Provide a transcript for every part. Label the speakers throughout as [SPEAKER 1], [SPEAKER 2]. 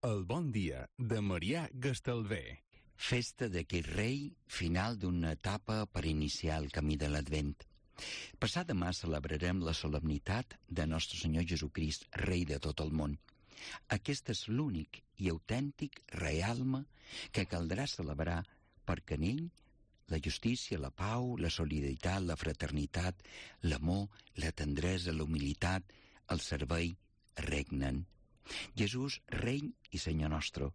[SPEAKER 1] El bon dia de Marià Gastalver.
[SPEAKER 2] Festa d'aquest rei, final d'una etapa per iniciar el camí de l'Advent. Passat demà celebrarem la solemnitat de Nostre Senyor Jesucrist, rei de tot el món. Aquest és l'únic i autèntic realme que caldrà celebrar perquè en ell la justícia, la pau, la solidaritat, la fraternitat, l'amor, la tendresa, la humilitat, el servei regnen. Jesús, rei i senyor nostre.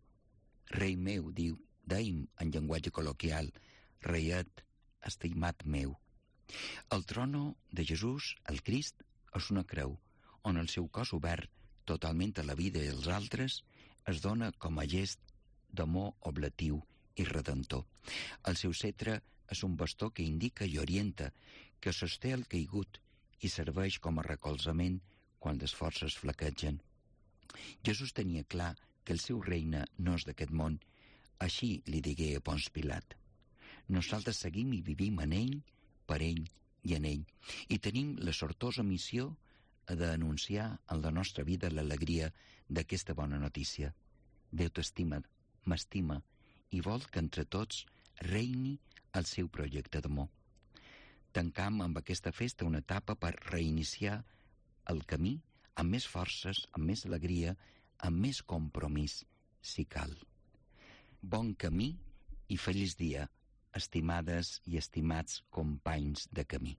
[SPEAKER 2] Rei meu, dèiem en llenguatge col·loquial, reiet, estimat meu. El trono de Jesús, el Crist, és una creu, on el seu cos obert totalment a la vida i als altres es dona com a gest d'amor oblatiu i redentor. El seu cetre és un bastó que indica i orienta, que sosté el caigut i serveix com a recolzament quan les forces flaquegen. Jesús tenia clar que el seu regne no és d'aquest món, així li digué a Pons Pilat. Nosaltres seguim i vivim en ell, per ell i en ell, i tenim la sortosa missió d'anunciar en la nostra vida l'alegria d'aquesta bona notícia. Déu t'estima, m'estima, i vol que entre tots reini el seu projecte d'amor. Tancam amb aquesta festa una etapa per reiniciar el camí amb més forces, amb més alegria, amb més compromís, si cal. Bon camí i feliç dia, estimades i estimats companys de camí.